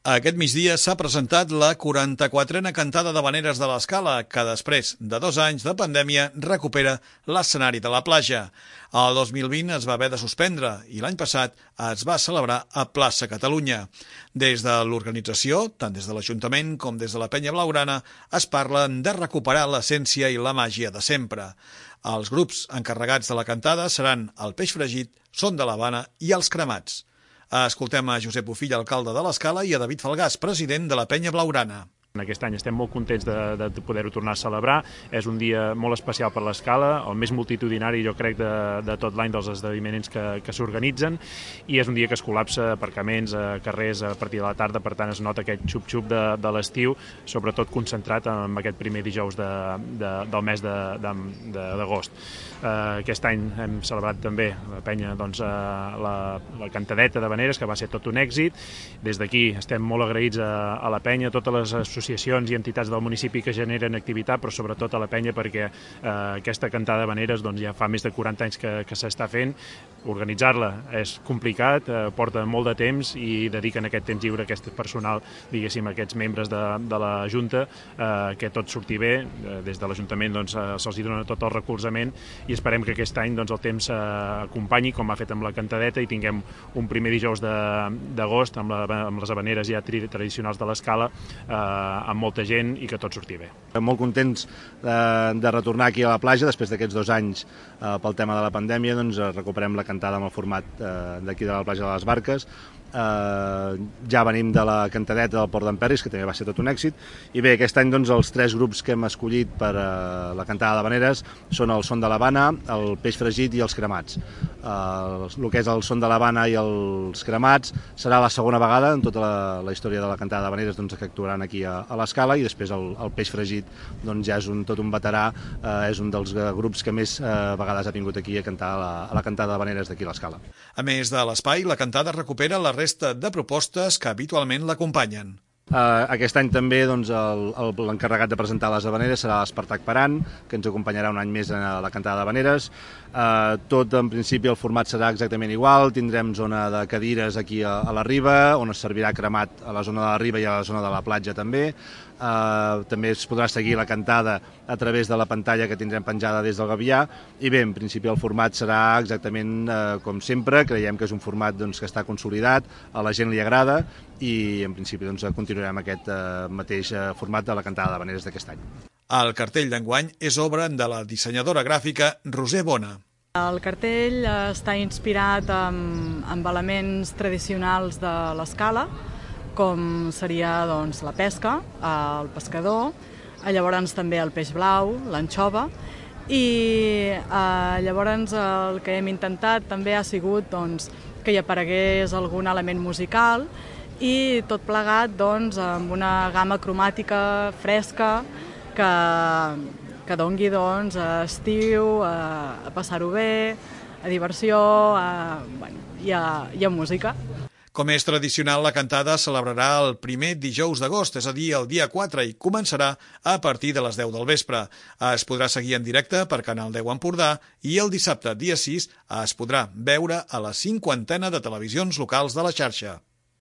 Aquest migdia s'ha presentat la 44a cantada d'Havaneres de l'Escala, que després de 2 anys de pandèmia recupera l'escenari de la platja. El 2020 es va haver de suspendre i l'any passat es va celebrar a Plaça Catalunya. Des de l'organització, tant des de l'Ajuntament com des de la Penya Blaugrana, es parlen de recuperar l'essència i la màgia de sempre. Els grups encarregats de la cantada seran el Peix Fregit, Son de l'Havana i els Cremats. Escoltem a Josep Bofill, alcalde de l'Escala, i a David Falgàs, president de la Penya Blaugrana. Aquest any estem molt contents de poder-ho tornar a celebrar. És un dia molt especial per l'Escala, el més multitudinari, jo crec, de tot l'any dels esdeveniments que s'organitzen, i és un dia que es col·lapsa aparcaments, carrers a partir de la tarda, per tant es nota aquest xup-xup de l'estiu, sobretot concentrat en aquest primer dijous del mes d'agost. Aquest any hem celebrat també la penya, la cantadeta d'Havaneres, que va ser tot un èxit. Des d'aquí estem molt agraïts a la penya, a totes les associacions i entitats del municipi que generen activitat, però sobretot a la penya, perquè aquesta cantada d'Havaneres ja fa més de 40 anys que s'està fent. Organitzar-la és complicat, porta molt de temps, i dediquen aquest temps lliure, aquest personal, diguéssim, aquests membres de la Junta, que tot surti bé. Des de l'Ajuntament se'ls dona tot el recolzament, i esperem que aquest any el temps acompanyi, com ha fet amb la cantadeta, i tinguem un primer dijous d'agost amb les havaneres ja tradicionals de l'Escala, amb molta gent, i que tot surti bé. Molt contents de retornar aquí a la platja després d'aquests 2 anys pel tema de la pandèmia. Recuperem la cantada amb el format d'aquí de la platja de les Barques. Ja venim de la cantadeta del Port d'Emperris, que també va ser tot un èxit, i bé, aquest any els 3 grups que hem escollit per la cantada d'Havaneres són el Son de l'Havana, el Peix Fregit i els Cremats. El que és el Son de l'Havana i els Cremats serà la segona vegada en tota la història de la cantada d'Havaneres que actuaran aquí a l'Escala, i després el Peix Fregit ja és tot un veterà, és un dels grups que més vegades ha vingut aquí a cantar a la cantada d'Havaneres d'aquí a l'Escala. A més de l'espai, la cantada recupera la resta de propostes que habitualment l'acompanyen. Aquest any també l'encarregat de presentar les havaneres serà l'Espartac Paran, que ens acompanyarà un any més a la cantada d'havaneres. Tot, en principi, el format serà exactament igual. Tindrem zona de cadires aquí a la riba, on es servirà cremat a la zona de la riba i a la zona de la platja també. També es podrà seguir la cantada a través de la pantalla que tindrem penjada des del Gavià, i bé, en principi el format serà exactament com sempre. Creiem que és un format que està consolidat, a la gent li agrada, i en principi continuarem aquest mateix format de la cantada d'havaneres d'aquest any. El cartell d'enguany és obra de la dissenyadora gràfica Roser Bona. El cartell està inspirat amb elements tradicionals de l'Escala, com seria la pesca, el pescador, llavors també el peix blau, l'anxova, i llavors el que hem intentat també ha sigut que hi aparegués algun element musical, i tot plegat amb una gamma cromàtica fresca que dongui a estiu, a passar-ho bé, a diversió i a música. Com és tradicional, la cantada celebrarà el primer dijous d'agost, és a dir, el dia 4, i començarà a partir de les 10 del vespre. Es podrà seguir en directe per Canal 10 Empordà, i el dissabte, dia 6, es podrà veure a la 50a de televisions locals de la xarxa.